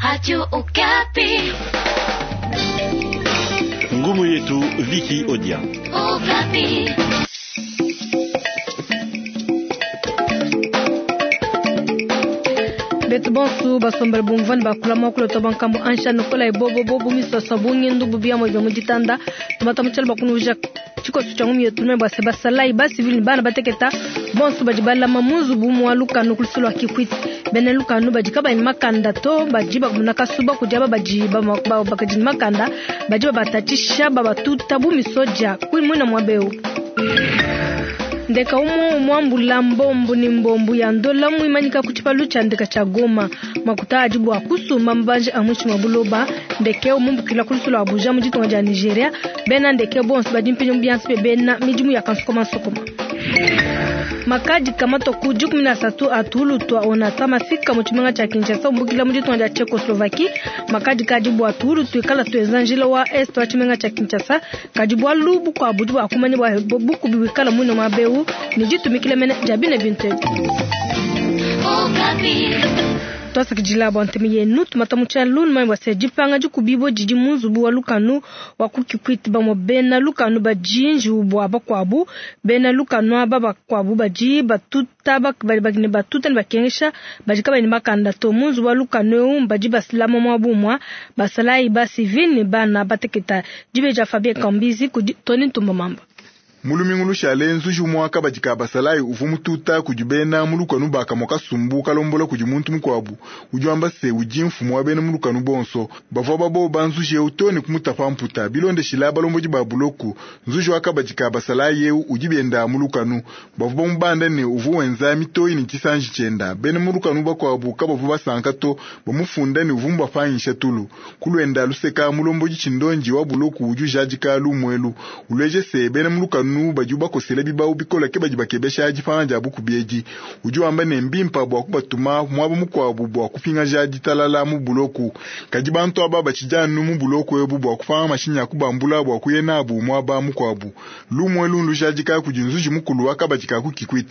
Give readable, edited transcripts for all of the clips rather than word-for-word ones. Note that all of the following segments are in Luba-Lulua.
Radio Okapi. Ngumu yetu Viki Odia. Okapi. Betu bonsu basombele bumvua ne bakula muakulu to bankambo ansha nokola ebobobo misoso bungindu bubiamo bya muditanda tumata mutshalo bakunuja tshikoso tshia ngumi yetu bua se basalayi ba civil ne bana bateketa bonso badi balama mu nzubu mua lukanu ku lusu lua Kikwit. Bena lukanu badi kabayi ne makanda to badi bakumuna kasuba kudi aba badi bakadi ne makanda badi babatatshisha babatuta bu misoja ku muina muaba eu. Ndeka umwe muambula mbombu ni mbombu ya ndola muimanyika ku tshipalu tshia ndeka tshia Goma makuta adi bua kusumba mabanji a muinshi mua buloba. Ndeke umumbukila ku lusu lua Abuja mu ditunga dia Nigeria. Bena ndeke bonso badi mpinyo mu bianza bia bena midimu ya kansukoma nsukuma. Makadi kamato ku 13 atulu twa onatra mafika mu tshimenga tshia Kinshasa umbukila mu ditunga dia Tchecoslovaquie. Makadi kadi bua tuulu tuikala tuenza njila wa est wa tshimenga tshia Kinshasa kadi bualu bukuabu bua kumanya bua bukubi buikala muine muaba eu ne ditumikila mene dia bine bintu ebi. Twasakidila bua ntema yenu tumata mu tshialu numanye bua se dipanga dikubibo didi mu nzubu wa lukanu wa ku Kikwit. Bamue bena lukanu badi njiwu bua bakuabu. Bena lukanu aba bakuabu badi batuta badi ne batuta ne bakengesha badi kabayi ne makanda to. Mu nzubu wa lukanu eu badi basilama muabu umua basalayi ba civil ne bana bateketa. Dibeja Fabien Kambizi kudi Tony Ntumba Mamba. Mulumingu lushale nzuji umue kabadi ka basalayi uvua mututa kudi bena mu lukanu bakamua kasumbu kalombola kudi muntu mukuabu udi wamba se udi mfumu wa bena mu lukanu bonso. Bavua baboba nzuji eu to ne kumutapa mputa. Bilondeshila balombodi ba buloku, nzuji wa kabadi ka basalayi eu udi benda mu lukanu. Bavua bamubanda ne uvua wenza mitoyi ne tshisanji tshienda. Bena mu lukanu bakuabu kabavua basanka to, bamufunda ne uvua mubapangisha tulu. Kuluenda luseka mulombodi tshindonji wa buloku udi ujadika lumuelu. Uleje se bena mu lukanu badi bakosela bibau bikola ke badi bakebesha dipanga dia bukubi edi. Udi wamba ne mbimpa bua kubatuma muaba mukuabu bua kupingaja ditalala mu buloku. Kadi bantu aba batshidi anu mu buloku ebu bua kupanga mashinyi a kubambula bua kuya nabu muaba mukuabu. Lumuelu lujadika kudi nzuji mukulu wa kabadi ka ku Kikwit.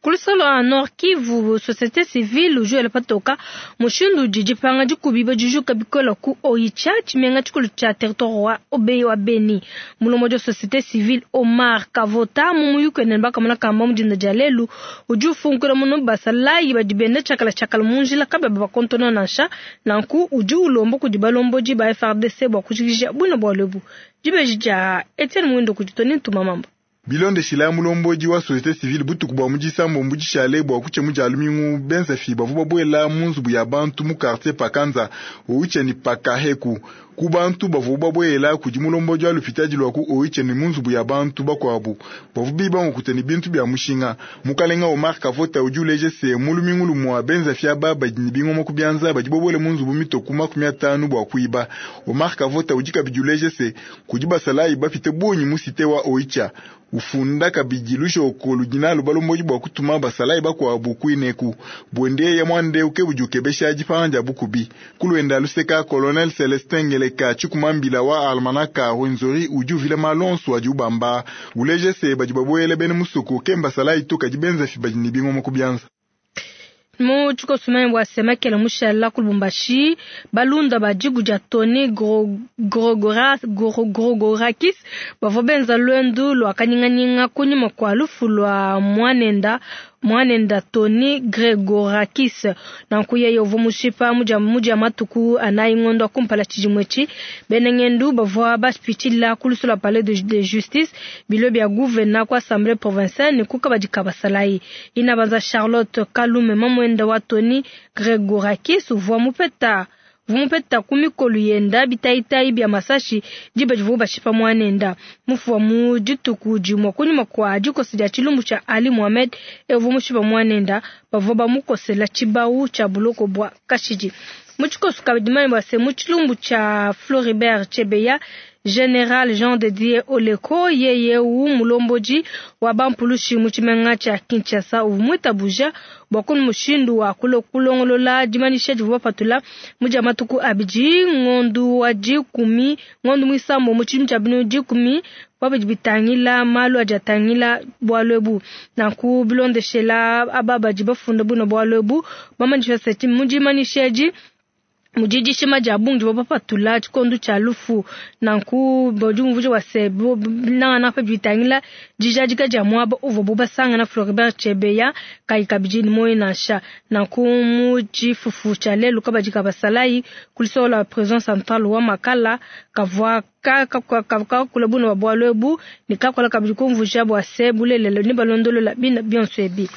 Ku luseke lua Nord Kivu, société civile Joël Patoka mushindu udi dipanga dikubi dijuka bikola ku Oicha tshimenga tshikulu tshia territoire wa Obey wa Beni. Mulombodi wa société civile Omar Kavota mu muyuki ne bakamona kamba mu dinda dia lelu udi ufunkula muno basalayi badi benda tshiakala tshiakala mu njila kabeba bakontona nansha. Nanku udi ulomba kudi balombodi ba FARDC bua kujikija buno bualu ebu. Dibeji dia Etienne Mwindo kudi Tony Ntuma Mamba. Bilondeshila mulombodi wa société civile butuku bua mudisambo mbudishale bua kutshia mu dia lumingu benza fi bavua babuela mu nzubu ya bantu mu quartier Pakanza Oicha ni Pakaheku. Ku bantu bavua babuela kudi mulombodi wa lupitadi lua ku Oicha ni mu nzubu ya bantu bakuabu bavua biba nkuta ni bintu bia mushinga. Mukalenga Omar Kavota udi uleje se mu lumingu lumua benza fi aba badi ni bingoma ku bianza badi babuela mu nzubu mitoku 50 bua kuiba. Omar Kavota udi kabidi uleje se kudi basalayi bapite bungi mu cité wa Oicha. Ufunda kabidi lushoko ludina lubalombodi bua kutuma basalayi bakuabu kuineku. Buende ya mwande uke budi ukebesha dipanga dia bukubi. Kuluenda luseka Colonel Celestin Ngeleka tshikumambila wa almanaka Rwenzori udi uvila malonso adi ubamba. Uleje se badi babuele bene musuku ke mbasalayi to kadi benza fi badi ne bingoma ku bianza. Mu tshikoso bua semakela mushala ku Lubumbashi balunda ba diku dia Tony Grogorakis bavua benza lwendu lua kanyinganyinga kunyima kua lufu lua mwanenda Tony Gregorakis. Nanku yeye uvua mushipa mudia matuku anayi ngondo kumpala tshidimue etshi. Bena ngendu bavua bapitshila ku lusu lua palais de justice bilo bia gouverneur ku assemblée provinciale ne ku kabadi ka basalayi. Inabanza Charlotte Kalume mamwenda wa Tony Gregorakis uvua mupeta vumupeta ku mikolo yenda bitayitayi bia masashi diba divua bashipa mwanenda. Mufuwa mu dituku dimue kunyima kua dikosa dia tshilumbu tshia Ali Mohamed evua mushipa mwanenda bavua bamukosela tshibawu tshia buloko bua kashidi. Mu tshikoso kabidi manye bua se mu tshilumbu tshia Floribert Chebeya General Jean de Dieu Oleko yeye u mulombodi wa bampulushi mu tshimenga tshia Kinshasa uvua muitabuja bua kunu mushindu wa kulongolola dimanyisha divua bapatula mu dia matuku abidi ngondu wa dikumi ngondu muisambo mu tshidimu tshia binu dikumi bidi bitangila malu adi atangila bualu ebu. Nanku bilondeshela aba badi bafunda buno bualu ebu bamanyisha se mu dimanyisha edi Mudi dishima dia bungi divua bapatula tshikondo tshia lufu. Nanku badi bumvuija bua se, nangananga pa bidi bitangila dijadika dia muaba uvuabu basangana Floribert Chebeya kayi kabidi ne muoyo nansha. Nanku mu tshifufu tshia lelu kabadi ka basalayi ku luseke lua prison centrale wa Makala kavua kakula bune bua bualu ebu ne kakola kabidi kumvuija bua se, bulelela ne balondolola bina bionso ebi.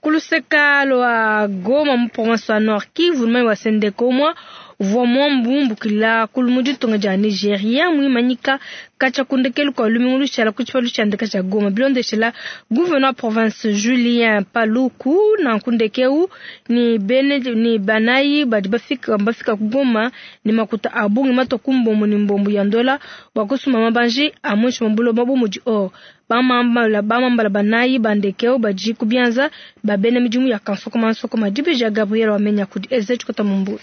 Ku luseka lua Goma mu province wa Nord Kivu, numanye bua se ndeke umue uvua muambumbukila kulu mu ditunga dia Nigeria muimanyika katshia ku ndekelu kua lumingu lushala ku tshipalu tshia ndeke tshia Goma, bilondeshela gouverneur wa province Julien Paluku. Nanku ndeke eu ni bene ni banayi badi bafika ku Goma ne makuta a bungi matua ku mbombo ne mbombo ya ndola bua kusumba mabanji a muinshi mua buloba bu mudi or. Bamambala banayi ba ndeke eu badi ku bianza ba bena midimu ya kansokoma nsokoma. Dibeji ya Gabriel Wamenya kudi Eze Tshikota Mumbulu.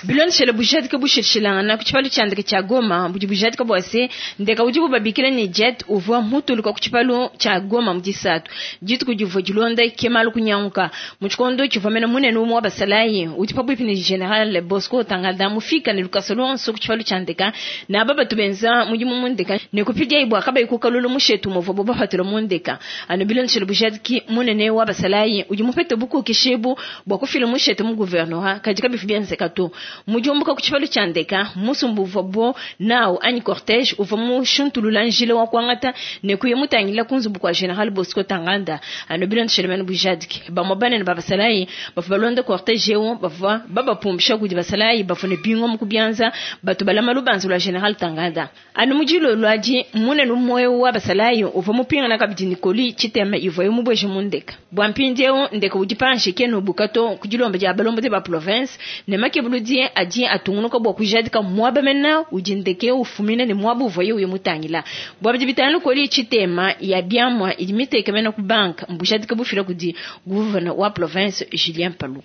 Bilondeshele bujadika bushilshilangana ku tshipalu tshia ndeke tshia Goma, budi bujadika bua se ndeke udibu babikila ne jet uvua mutuluka ku tshipalu tshia Goma mu disatu dituku divua dilonda kemalu kunyanguka mu tshikondo tshivua mene munene umue wa basalayi udi pabuipi ne General Bosco Ntaganda mufika ne lukasa luonso ku tshipalu tshia ndeka ne aba batu benza mudimu mu ndeka ne kupidia bua kabayi kukalula mushetu muvuabu bapatula mu ndeka. Anu bilondeshele bujadiki munene wa basalayi udi mupete bukokeshi ebu bua kufila mushetu mu gouvernorat kadi kabivi bienzeka to. Mujumbuka ku tshipalu tshia ndeka musumbu uvua nawu anyi cortège uvua mushuntulula njila wa kuangata ne kuya mutangila ku nzubu kua General Bosco Ntaganda. Anu bilondeshele mene bujadiki bamue banene ba basalayi bavua balonda cortège eu bavua babapumbisha kudi basalayi bavua ne bingomu ku bianza batu balama lubanza lua General Ntaganda. Anu mujilo lwadi munene umue wa basalayi uvua mupingana kabidi ne koli tshitema ivuaye mubweje mu ndeka. Bua mpindieu ndeka udi panshi kena ubuka to ku dilomba dia balombodi ba province ne makebuludi adi atungunuka bua kujadika muaba mena udi ndeke ufumina ne muaba uvuaye uya mutangila. Bua bidi bitangila koli tshitema ya biamua idi miteke mena ku banka mbujadika bufila kudi gouverneur wa province Julien Palu.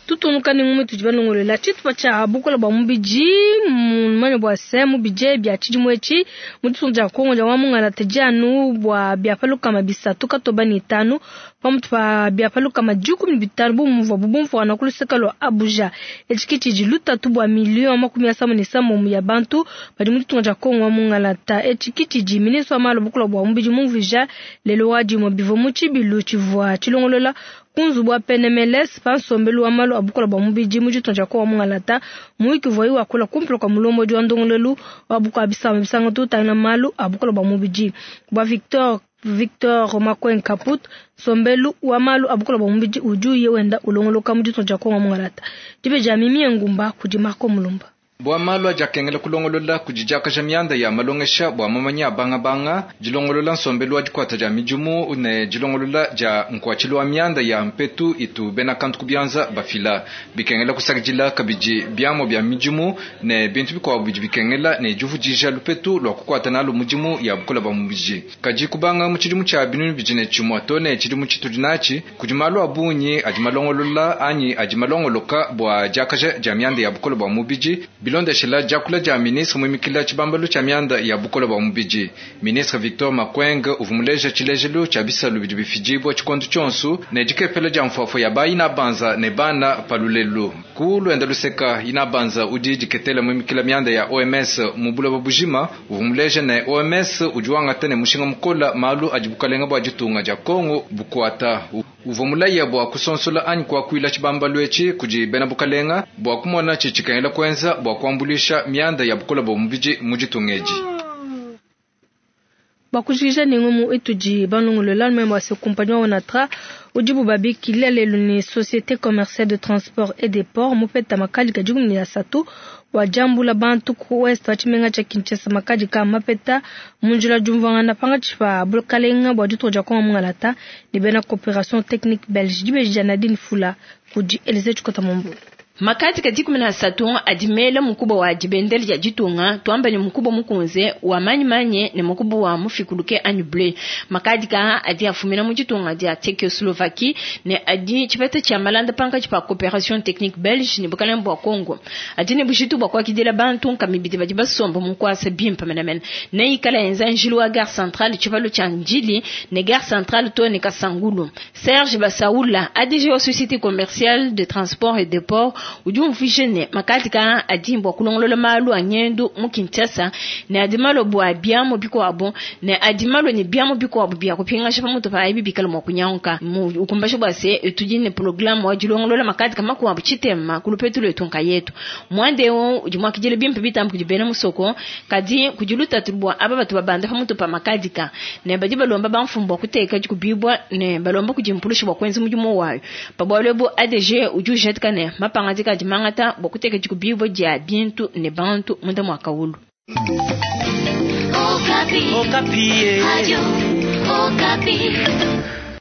Tutunuka ne ngumu tudi balongolola tshitupa tshia bukola bua mubidi mumanye bua se mubidi bia tshidimu etshi mu ditunga dia Kongo dia wa mungala tedianu bua bia palukama bisatu katoba ne tanu pamutu pa bia palukama dikumi ne bitanu bu muvuabu bumvuana ku luseke lua Abuja. Etshi ke tshidi lutatu bua miliyo makumi asamu ne sambo ya bantu badi mu ditunga dia Kongo wa mungalata. Etshi ke tshidi ministre wa malu a bukola bua mubidi mumvuija lelo wa dimue bivua mu tshibilu tshivua tshilongolola ku nzubu wa PNMLS pa nsombelu wa malu a bukola bua mubidi mu ditunga dia Kongo wa mungalata. Muyuki uvuaye wakula kumpala kua mulombodi wa ndongoluelu wa bukua bisamba bisanga tutangila malu a bukola bua mubidi bua Victor Makweng Kaput, nsombelu wa malu a bukola bua mubidi udi uye wenda ulongoloka mu ditunga dia Kongo wa mungalata. Dibeji ya Mimi Ngumba kudi Marco Mulumba. Bua malu adi akengela kulongolola kudi diakaja mianda ya malongesha bua mamanya a bangabanga, dilongolola nsombelu wa dikuata dia midimu ne dilongolola dia nkuatshilu wa mianda ya mpetu itu bena kantu ku bianza bafila. Bikengela kusakidila kabidi biamua bia midimu ne bintu bikuabu bidi bikengela ne divudija lupetu lua kukuata nalu mudimu ya bukola bua mubidi. Kadi kubanga mu tshidimu tshia binunu bidi ne tshimue to ne tshidimu tshitudi natshi, kudi malu a bungi adi malongolola anyi adi malongoloka bua diakaja dia mianda ya bukola bua mubidi. Bilondeshela diakula dia ministre muimikila tshibambalu tshia mianda ya bukola bua mubidi. Ministre Victor Makweng uvua muleja tshilejelu tshia bisalu bidi bifidibua tshikondo tshionso ne dikepela dia mfuafua ya ba inabanza ne bana palulelu. Ku luenda luseka inabanza udi diketela muimikila mianda ya OMS mu buloba bujima uvua muleja ne OMS udi wangata ne mushinga mukola malu adi bukalenga bua ditunga dia Kongo bukuata. Uvua mulaya bua kusonsola anyi kuakuila tshibambalu etshi kudi bena bukalenga bua kumona tshitshikengela kuenza bua kuambuluisha mianda ya bukola bua mubidi mu ditunga edi. Bakujikija ne ngumu itudi balongolola numanye bua se compagnie wa Onatra udibu babikila lelu ne Société commerciale de transport et des ports mupeta makadi ka dikumi ne asatu bua diambula bantu ku ouest wa tshimenga tshia Kinshasa. Makadi ka mapeta mu njila diumvuangana pangatshi pa bukalenga bua ditunga dia Kongo mungalata ne bena coopération technique belge. Dibeji dia Nadine Fula kudi Elise Tshikota Mombo. Makadi ka dikumi na asatu adi mela mukuba wa dibendele dia ditunga, tuamba ne mukuba mukunze wa manyimanye ne mukuba wa mufikuluke anyi bleu. Makadika adi afumina mu ditunga dia Tchécoslovaquie ne adi tshipeta tshia malanda pankatshi pa coopération technique belge ne bukalenge bua Congo. Adi ne bujitu bua kuakidila bantu nkamibidi badi basomba mu nkuasa bimpe menemene. Ne ikala enza njilu wa gare centrale tshipalu tshia Ndjili ne gare centrale to ne Kasangulu. Serge Basaoula, ADG wa Société commerciale de transport et de port, udi umvuije ne makadika adi bua kulongolola malu a ngendu mu Kinshasa ne adi malo bua biamu bikuabu ne adi malo ne biamu bikuabu bia kupingasha pamutu pa ibi bikala mua kunyanguka. Ukumbasha bua se tudi ne programme wa dilongolola makadika makuabu tshitema ku lupetu lwetu nkayetu. Mwande eu udi muakidile bimpe bitambi kudi bena musoko, kadi kudi lutatu bua aba batu babanda pamutu pa makadika ne badi balomba bamfumu bua kuteka dikubibwa ne balomba kudi mpulusha bua kuenza mudimu wayo. Pa bualu ebu ADG udi ujatika ne mapangadika adi mangata bua kuteka dikubibwa dia bintu ne bantu munda mua kawulu. Okapi. Okapi. Radio Okapi.